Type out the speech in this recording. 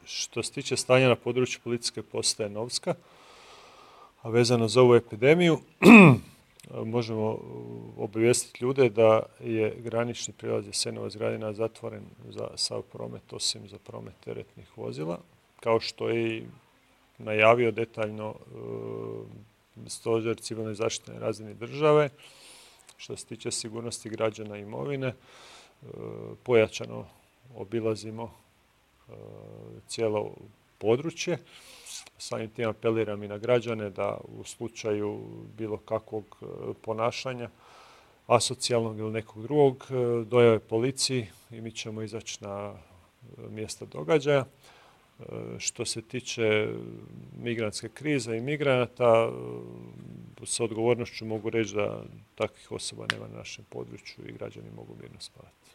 Što se tiče stanja na području policijske postaje Novska, a vezano za ovu epidemiju, možemo obavijestiti ljude da je granični prijelaz Jasenovac-Gradina zatvoren za sav promet, osim za promet teretnih vozila, kao što je i najavio detaljno Stožer civilne zaštite na razini države. Što se tiče sigurnosti građana i imovine, pojačano obilazimo cijelo područje. Samim tim apeliram i na građane da u slučaju bilo kakvog ponašanja, asocijalnog ili nekog drugog, dojave policiji i mi ćemo izaći na mjesto događaja. Što se tiče migrantske krize i migranata, s odgovornošću mogu reći da takvih osoba nema na našem području i građani mogu mirno spavati.